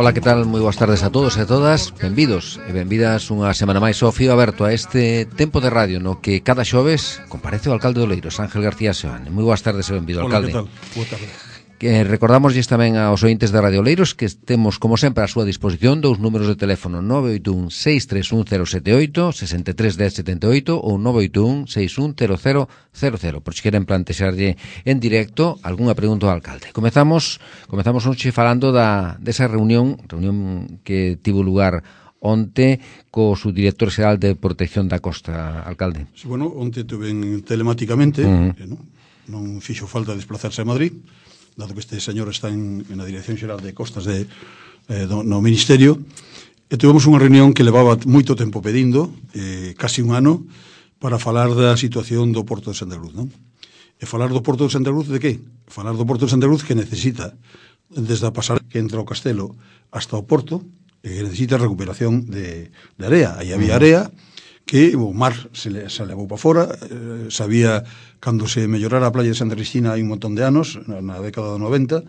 Ola, que tal? Moi boas tardes a todos e a todas. Benvidos e benvidas unha semana máis ao Fío Aberto a este tempo de radio no que cada xoves comparece o alcalde de Oleiros, Ángel García Seoane. Moi boas tardes e benvido, alcalde. Hola, que tal? Boa tarde. Que recordamoslle tamén aos ointes de Radio Oleiros que temos, como sempre, a súa disposición dous números de teléfono 981-631-078, 63-1078 ou 981-610000, por si queren plantexarlle en directo algunha pregunta ao alcalde. Comezamos hoxe falando desa reunión que tivo lugar onte co subdirector xeral de Protección da Costa, alcalde. Sí, bueno, onte tuven telemáticamente, non fixo falta desplazarse a Madrid, dado que este señor está na Dirección Xeral de Costas no Ministerio, e tivemos unha reunión que levaba moito tempo pedindo, casi un ano, para falar da situación do Porto de Santa Cruz, non? E falar do Porto de Santa Cruz de que? Falar do Porto de Santa Cruz que necesita, desde a pasarela que entra ao Castelo hasta o Porto, que necesita recuperación de area. Aí había area que o mar se levou para fora, sabía, cando se mellorara a playa de Santa Cristina hai un montón de anos, na década do 90,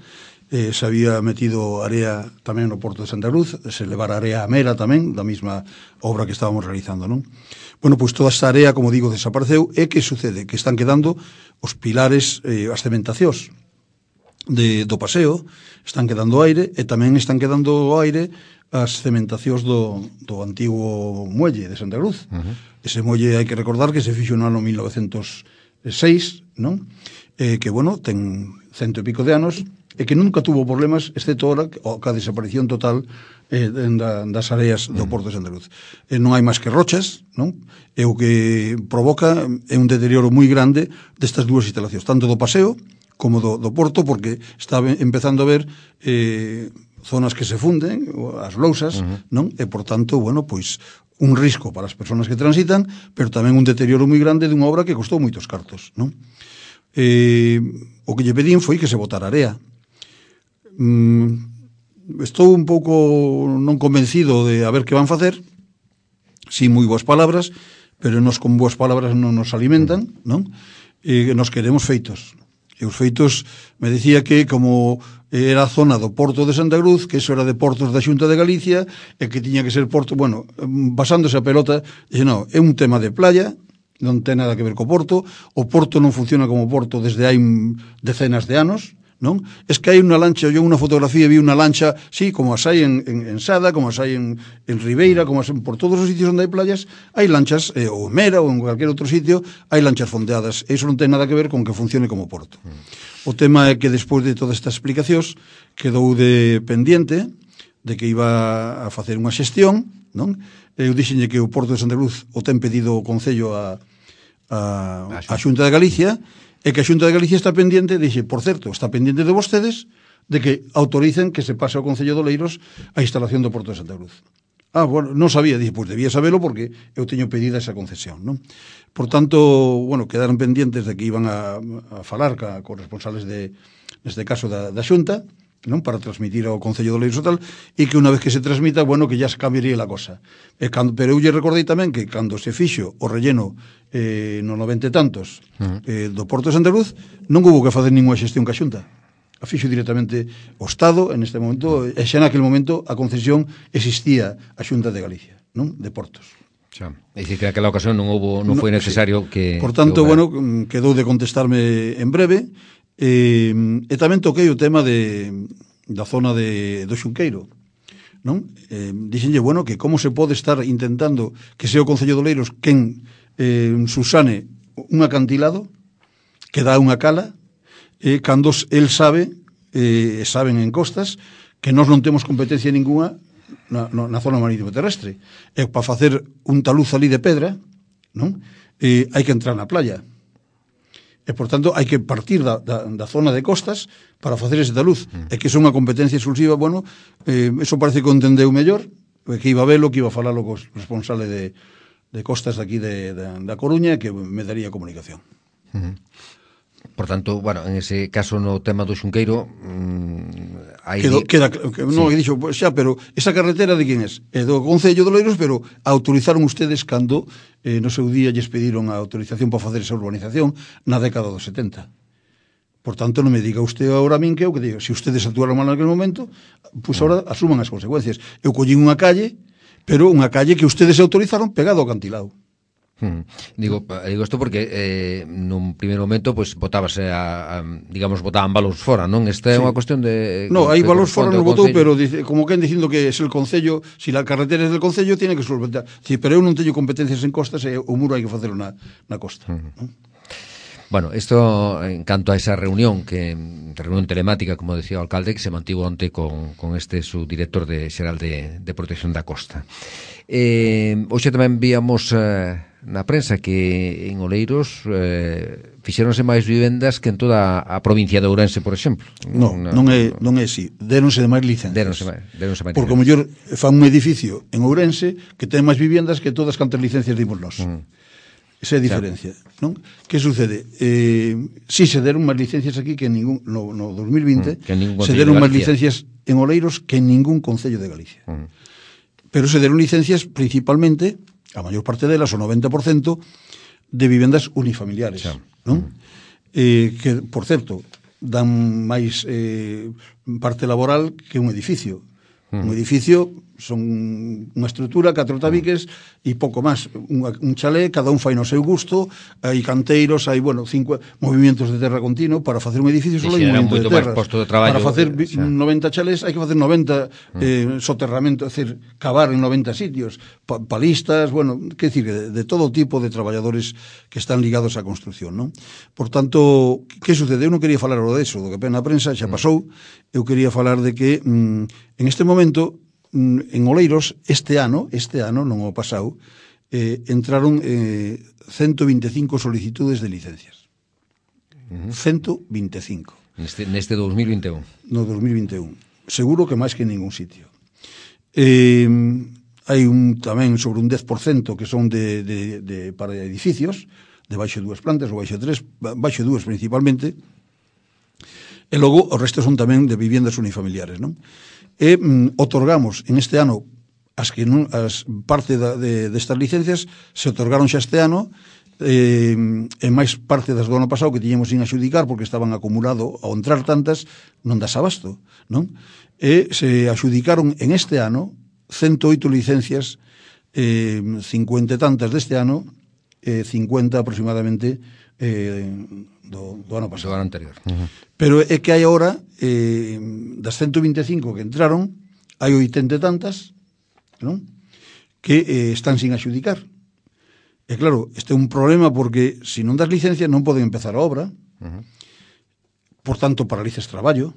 se había metido area tamén no Porto de Santa Cruz, se levara area a Mera tamén, da mesma obra que estábamos realizando, non? Bueno, pois toda esta area, como digo, desapareceu, e que sucede? Que están quedando os pilares, as cementacións do paseo, están quedando aire, e tamén están quedando aire as cementacións do antigo muelle de Santa Cruz. Ese muelle hai que recordar que se fixo no ano 1906, non? Que, bueno, ten 100 e pico de anos e que nunca tuvo problemas, excepto ahora, ca desaparición total das areas do Porto de Santa Cruz. Non hai máis que rochas, non? E o que provoca é un deterioro moi grande destas dúas instalacións, tanto do paseo como do Porto, porque está empezando a ver zonas que se funden, as lousas, non? E, por tanto, bueno, pois un risco para as persoas que transitan, pero tamén un deterioro moi grande dunha obra que costou moitos cartos, non? O que lle pedín foi que se botara area. Estou un pouco non convencido de a ver que van facer, si moi boas palabras, pero nos con boas palabras non nos alimentan, non? Nos queremos feitos. E os feitos, me decía que como era a zona do Porto de Santa Cruz, que eso era de portos da Xunta de Galicia, e que tiña que ser porto, bueno, basándose a pelota, dixe, non, é un tema de playa, non ten nada que ver co Porto, o Porto non funciona como Porto desde hai decenas de anos, non? Es que hai unha lancha, eu unha fotografía vi unha lancha, sí, como as hai en Sada, como as hai en Ribeira, como as por todos os sitios onde hai playas, hai lanchas, ou en Mera ou en cualquier outro sitio, hai lanchas fondeadas, e iso non ten nada que ver con que funcione como Porto. O tema é que despois de todas estas explicacións quedou de pendiente de que iba a facer unha xestión, non? Eu dixenlle que o Porto de Santa Cruz o ten pedido o Concello a Xunta de Galicia, e que a Xunta de Galicia está pendiente, dixe, por certo, está pendiente de vostedes de que autoricen que se pase ao Concello de Oleiros a instalación do Porto de Santa Cruz. Bueno, non sabía, dixe, pois debía sabelo porque eu teño pedida esa concesión, non? Por tanto, bueno, quedaron pendientes de que iban a falar con responsables neste caso da Xunta, non, para transmitir ao Concello de Oleiros e tal, e que unha vez que se transmita, bueno, que ya se cambiaría a cosa. Pero eu lle recordei tamén que cando se fixo o relleno no 90 e tantos do Porto de Santa Cruz, non houve que facer ninguna xestión ca Xunta. A fixo directamente o Estado en este momento, e xa naquele momento a concesión existía a Xunta de Galicia, non, de Portos. Xa. É dicir, que naquela ocasión non foi necesario que... Por tanto, bueno, quedou de contestarme en breve, e tamén toquei o tema da zona do Xunqueiro, non? Dixenlle, bueno, que como se pode estar intentando que sea o Concello de Oleiros quen susane un acantilado que dá unha cala, cando el sabe, saben en costas, que nós non temos competencia ninguna na zona marítimo terrestre. E para facer un taluz ali de pedra, non? Hai que entrar na playa. E, por tanto, hai que partir da zona de costas para facer ese taluz. E que é unha competencia exclusiva, bueno, eso parece que o entendeu mellor, que iba a velo, que iba a falalo co responsable de costas daqui da Coruña, que me daría comunicación. Por tanto, bueno, en ese caso no tema do Xunqueiro non, dixo, xa, pero esa carretera de quen é? É do Concello de Oleiros, pero autorizaron ustedes cando no seu día lles pediron a autorización para facer esa urbanización na década dos 70. Por tanto, non me diga usted agora a min que eu que digo, se ustedes actuaron mal naquele momento, pois agora asuman as consecuencias. Eu collín unha calle, pero unha calle que ustedes autorizaron pegado ao acantilado. Digo isto porque nun primeiro momento pois botábase digamos botaban valores fora, non? Esta é unha cuestión de hai valores fora non botou, pero dice, como quen dicindo que es el concello, si la carretera es del concello tiene que solventar. Sí, pero eu non teño competencias en costas e o muro hai que facelo na costa. Bueno, isto en canto a esa reunión telemática, como decía o alcalde, que se mantivo onte con este subdirector xeral de Protección da Costa. Hoxe tamén víamos na prensa que en Oleiros fixéronse máis vivendas que en toda a provincia de Ourense, por exemplo. Non é así. Déronse de máis licencias. Déronse máis porque o mellor fan un edificio en Ourense que ten máis viviendas que todas cantas licencias dimos nós. Esa é a diferencia, non? Que sucede? Si se deron máis licencias aquí que en ningún no 2020 se deron máis licencias en Oleiros que en ningún concello de Galicia. Pero se deron licencias principalmente, a maior parte delas, o 90%, de vivendas unifamiliares, non? Que, por certo, dan máis parte laboral que un edificio. Un edificio son unha estrutura, 4 tabiques e pouco máis, un chalé, cada un fai no seu gusto, hai canteiros, hai, 5 movimentos de terra continuo. Para facer un edificio só hai un movimento de terra. Para facer 90 chalés hai que facer 90 soterramentos, é dicir, cavar en 90 sitios, palistas, quer dicir, de todo tipo de traballadores que están ligados á construcción, non? Por tanto, que sucede? Eu non quería falar de eso, do que pena a prensa, xa pasou. Eu quería falar de que en este momento en Oleiros este ano, non o pasado, entraron 125 solicitudes de licencias. 125. Neste 2021. No 2021. Seguro que máis que en ningún sitio. Hai tamén sobre un 10% que son para edificios, de baixo 2 plantas ou baixo 3, baixo 2 principalmente, e logo o resto son tamén de viviendas unifamiliares, non? E otorgamos en este ano as parte destas licencias se otorgaron xa este ano, e máis parte das do ano pasado que tiñemos sin adxudicar porque estaban acumulado ao entrar tantas non das abasto, non? E se adxudicaron en este ano 108 licencias, 50 e tantas deste ano, 50 aproximadamente do ano pasado. Do ano anterior. Pero é que hai agora, das 125 que entraron, hai 80 e tantas, non? Que están sin adxudicar. E claro, este é un problema porque se non das licencias non poden empezar a obra, por tanto paralizas traballo.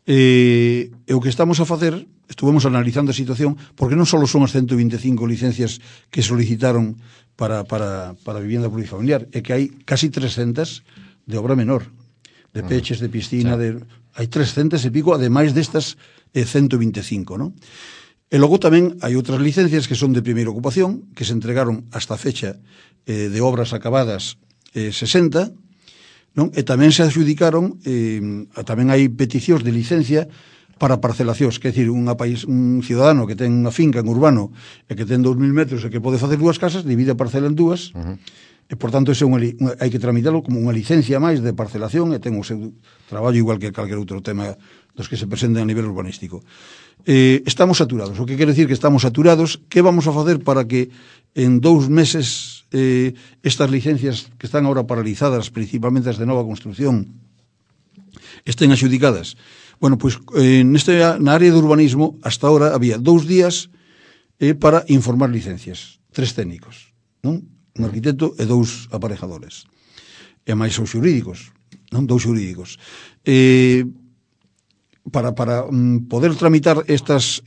E o que estamos a facer, estuvemos analizando a situación, porque non só son as 125 licencias que solicitaron para vivienda plurifamiliar, é que hai casi 300 de obra menor, de peches, de piscina, hai 300 e pico, ademais destas 125, non? E logo tamén hai outras licencias que son de primeira ocupación, que se entregaron hasta a fecha de obras acabadas 60, non? E tamén se adxudicaron, tamén hai peticións de licencia para parcelacións, que é dicir, un ciudadano que ten unha finca en urbano e que ten 2.000 metros e que pode facer 2 casas, divide a parcela en 2, e por tanto hai que tramitarlo como unha licencia máis de parcelación e ten o seu traballo igual que calquer outro tema dos que se presenten a nivel urbanístico. Estamos saturados. O que quere decir que estamos saturados? Que vamos a facer para que en 2 meses estas licencias que están ahora paralizadas, principalmente as de nova construcción, estén adxudicadas? Bueno, pois na área de urbanismo hasta ahora había 2 días para informar licencias, 3 técnicos, non? Un arquitecto e 2 aparejadores. E máis os xurídicos, non? 2 xurídicos. Para poder tramitar estas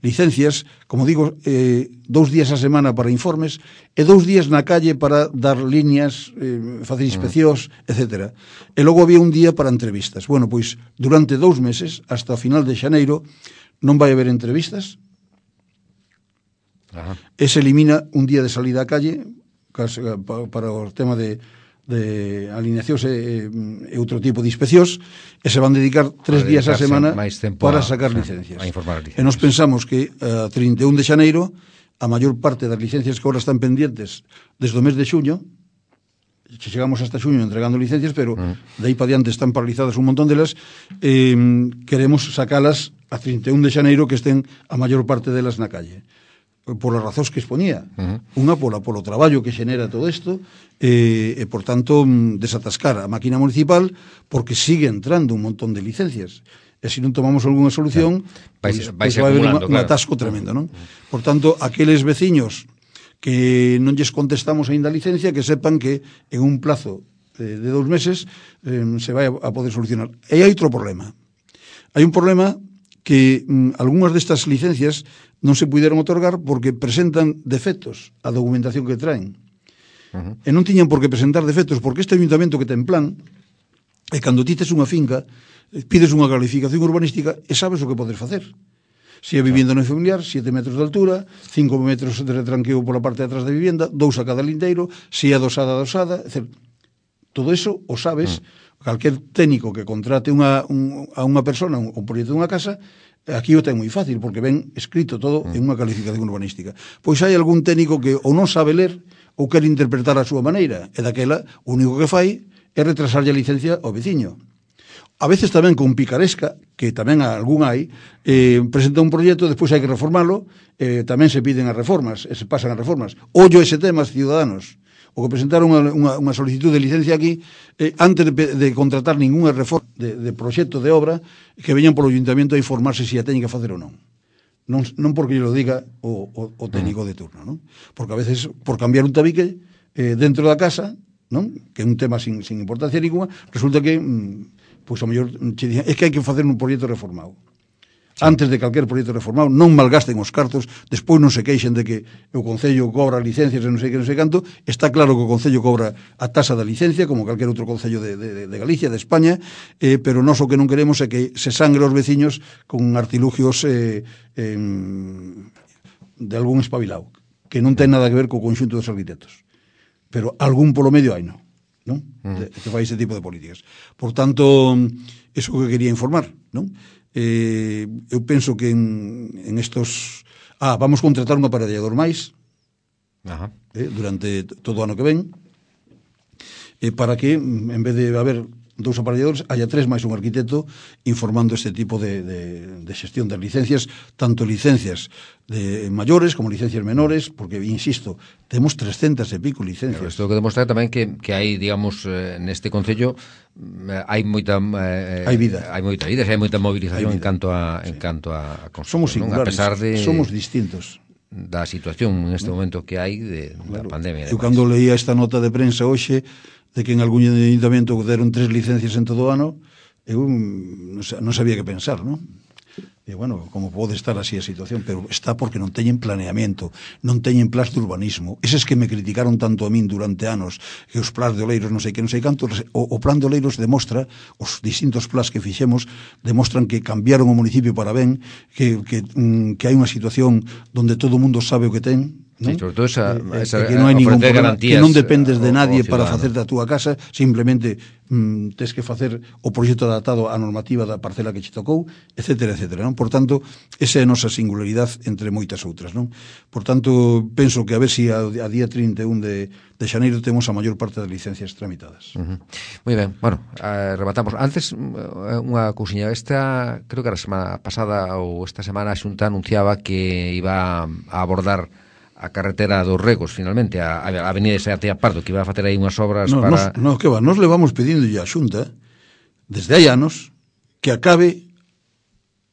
licencias, como digo, 2 días a semana para informes e 2 días na calle para dar líneas, facer inspeccións, etc. E logo había un día para entrevistas. Bueno, pois durante 2 meses, hasta o final de xaneiro, non vai haber entrevistas. E se elimina un día de salida á calle para o tema de alineacións e outro tipo de inspeccións, e se van dedicar 3 días a semana para sacar licencias. E nos pensamos que a 31 de xaneiro a maior parte das licencias que agora están pendientes desde o mes de xuño chegamos hasta xuño entregando licencias, pero de aí para diante están paralizadas un montón delas. Queremos sacalas a 31 de xaneiro, que estén a maior parte delas na calle, por as razóns que exponía. Unha polo traballo que xenera todo isto, e por tanto desatascar a máquina municipal, porque sigue entrando un montón de licencias. E se non tomamos algunha solución, vai vai haber un atasco tremendo, non? Por tanto, aqueles veciños que non lles contestamos aínda a licencia, que sepan que en un plazo de 2 meses se vai a poder solucionar. E hai outro problema. Hai un problema que algunhas destas licencias non se puderon otorgar porque presentan defectos a documentación que traen. E non tiñan por que presentar defectos, porque este ayuntamento que ten plan, e cando ti tes unha finca, pides unha calificación urbanística e sabes o que podes facer. Se é vivienda non familiar, 7 metros de altura, 5 metros de retranqueo pola parte de atrás da vivienda, 2 a cada lindeiro, se é adosada, etc. Todo eso o sabes. Calquer técnico que contrate a unha persona un proxecto dunha casa, aquí o ten moi fácil, porque ven escrito todo en unha calificación urbanística. Pois hai algún técnico que ou non sabe ler ou quere interpretar a súa maneira, e daquela o único que fai é retrasarlle a licencia ao veciño. A veces tamén con picaresca, que tamén algún hai, presenta un proxecto, despois hai que reformalo, tamén se piden as reformas, se pasan as reformas. Ollo ese tema, ciudadanos, o que presentaron unha solicitud de licencia aquí, antes de contratar ninguna reforma de proxecto de obra, que veñan polo ayuntamiento a informarse se a teñen que facer ou non. Non porque lo diga o técnico de turno, non? Porque a veces, por cambiar un tabique dentro da casa, non? Que é un tema sin importancia ninguna, resulta que pois a mellor che dicen, é que hai que facer un proxecto reformado. Antes de calquer proxecto reformado, non malgasten os cartos, despois non se queixen de que o Concello cobra licencias e non sei canto. Está claro que o Concello cobra a tasa da licencia, como calquer outro Concello de Galicia, de España, pero nós o que non queremos é que se sangre os veciños con artilugios de algún espabilado, que non ten nada que ver co conxunto dos arquitectos. Pero algún polo medio hai, non? Que fai ese tipo de políticas. Por tanto, eso que quería informar, non? Eu penso que en estos... vamos contratar un aparellador máis durante todo o ano que ven, para que, en vez de haber 2 aparelladores, haya 3 máis un arquitecto informando este tipo de xestión das licencias, tanto licencias de maiores como licencias menores, porque, insisto, temos 300 e pico licencias. Pero isto que demostrar tamén que hai, digamos, neste Concello hai moita hai vida, hai moita movilización en canto a construcción. Somos singulares, a pesar de somos distintos da situación neste momento que hai da pandemia. Eu cando leía esta nota de prensa hoxe de que en algún ayuntamiento deron 3 licencias en todo o ano, eu non sabía que pensar, non? E, bueno, como pode estar así a situación, pero está porque non teñen planeamento, non teñen plans de urbanismo. Eses que me criticaron tanto a min durante anos, que os plans de Oleiros non sei canto, o plan de Oleiros demostra, os distintos plans que fixemos, demostran que cambiaron o municipio para ben, que hai unha situación donde todo o mundo sabe o que ten, ¿no? Sí, sobre todo que non hai ningún problema, que non dependes de nadie para facer da túa casa, simplemente tes que facer o proxecto adaptado á normativa da parcela que che tocou, etcétera, etcétera, non? Por tanto, esa é a nosa singularidade entre moitas outras, non? Por tanto, penso que a ver se a día 31 de xaneiro temos a maior parte das licencias tramitadas. Moi ben, bueno, rematamos. Antes, unha cousiña, creo que a semana pasada ou esta semana a Xunta anunciaba que iba a abordar a carretera dos Regos, finalmente, a avenida de Seatea Pardo, que iba a facer aí unhas obras para... No, que va, nos levamos pedindo a Xunta, desde hai anos, que acabe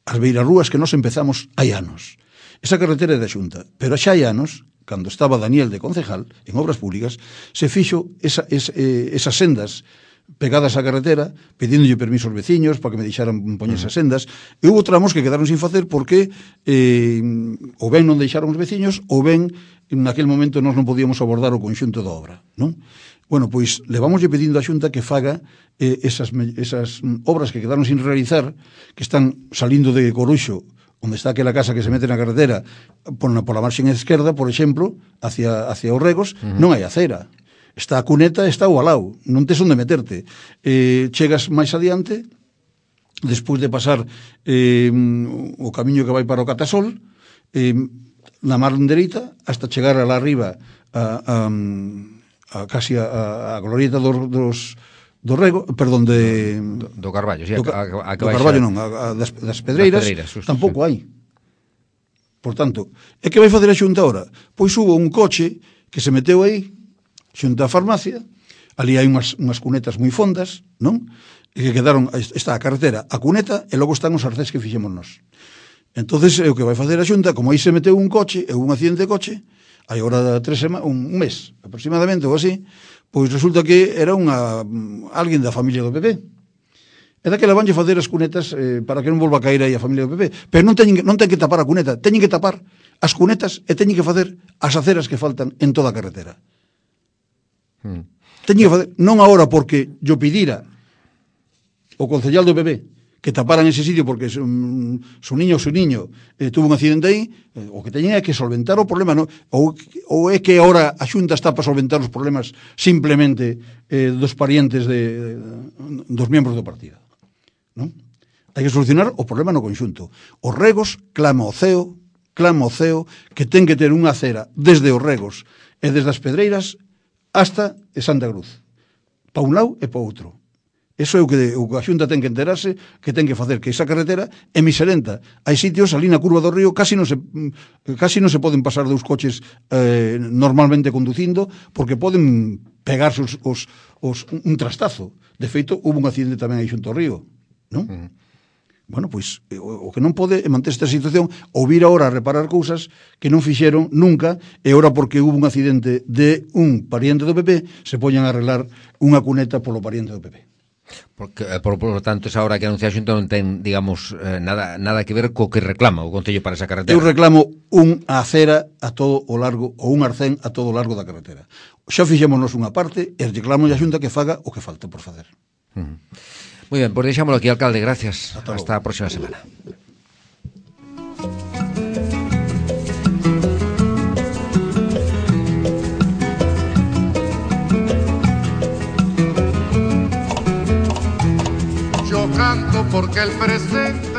as beirarrúas que nos empezamos hai anos. Esa carretera é da Xunta, pero xa hai anos, cando estaba Daniel de concejal, en obras públicas, se fixo esas sendas pegadas á carretera, pedíndolle permiso aos veciños para que me deixaran poñer esas sendas, e houve tramos que quedaron sin facer porque ou ben non deixaron os veciños, ou ben naquele momento nós non podíamos abordar o conxunto da obra, non? Bueno, pois levamoslle pedindo á Xunta que faga esas obras que quedaron sin realizar, que están salindo de Coruxo, onde está aquela casa que se mete na carretera pola marxen esquerda, por exemplo, hacia os Regos, non hai acera. Está a cuneta, está o alao, non tes onde meterte. Chegas máis adiante, despois de pasar o camiño que vai para o Catasol, na mar dereita, hasta chegar alá arriba casi a glorieta do Rego, perdón, do Carballo, sí, do Carballo non, das Pedreiras, tampouco hai. Por tanto, é que vai facer a Xunta ahora? Pois hubo un coche que se meteu aí, xunto á farmacia, ali hai unhas cunetas moi fondas, non? E que quedaron, está a carretera, a cuneta, e logo están os arcés que fixemos nós. Entonces, o que vai facer a Xunta, como aí se meteu un coche, e un accidente de coche, hai agora un mes, aproximadamente, ou así, pois resulta que era alguén da familia do PP. E daquela vanlle facer as cunetas para que non volva a caer aí a familia do PP. Pero non ten que tapar a cuneta, teñen que tapar as cunetas e teñen que facer as aceras que faltan en toda a carretera. Teñen que facer, non agora porque yo pidira o concellal do PP que taparan ese sitio porque su niño tuvo un accidente aí, o que teñen é que solventar o problema, non? Ou é que agora a Xunta está para solventar os problemas simplemente dos parientes dos membros do partido, non? Hai que solucionar o problema no conxunto. Os Regos clama o CEO que ten que ter unha acera desde os Regos e desde as Pedreiras hasta Santa Cruz, pa un lado e pa outro. Eso é o que a Xunta ten que enterarse, que ten que facer que esa carretera é miserenta. Hai sitios ali na curva do río casi non se poden pasar dous coches normalmente conducindo porque poden pegarse un trastazo. De feito, hubo un accidente tamén aí xunto ao río, non? Bueno, pois, o que non pode é manter esta situación ou vir ahora a reparar cousas que non fixeron nunca e ahora porque hubo un accidente de un pariente do PP se poñan a arreglar unha cuneta polo pariente do PP. Porque, por lo tanto, esa hora que anuncia a Xunta non ten, digamos, nada que ver co que reclama o Concello para esa carretera. Eu reclamo unha acera a todo o largo, ou un arcén a todo o largo da carretera. Xa fixémonos unha parte e reclamo a Xunta que faga o que falta por facer. Moi ben, pois deixámoslo aquí, alcalde, gracias. Hasta a próxima semana. Canto porque el presente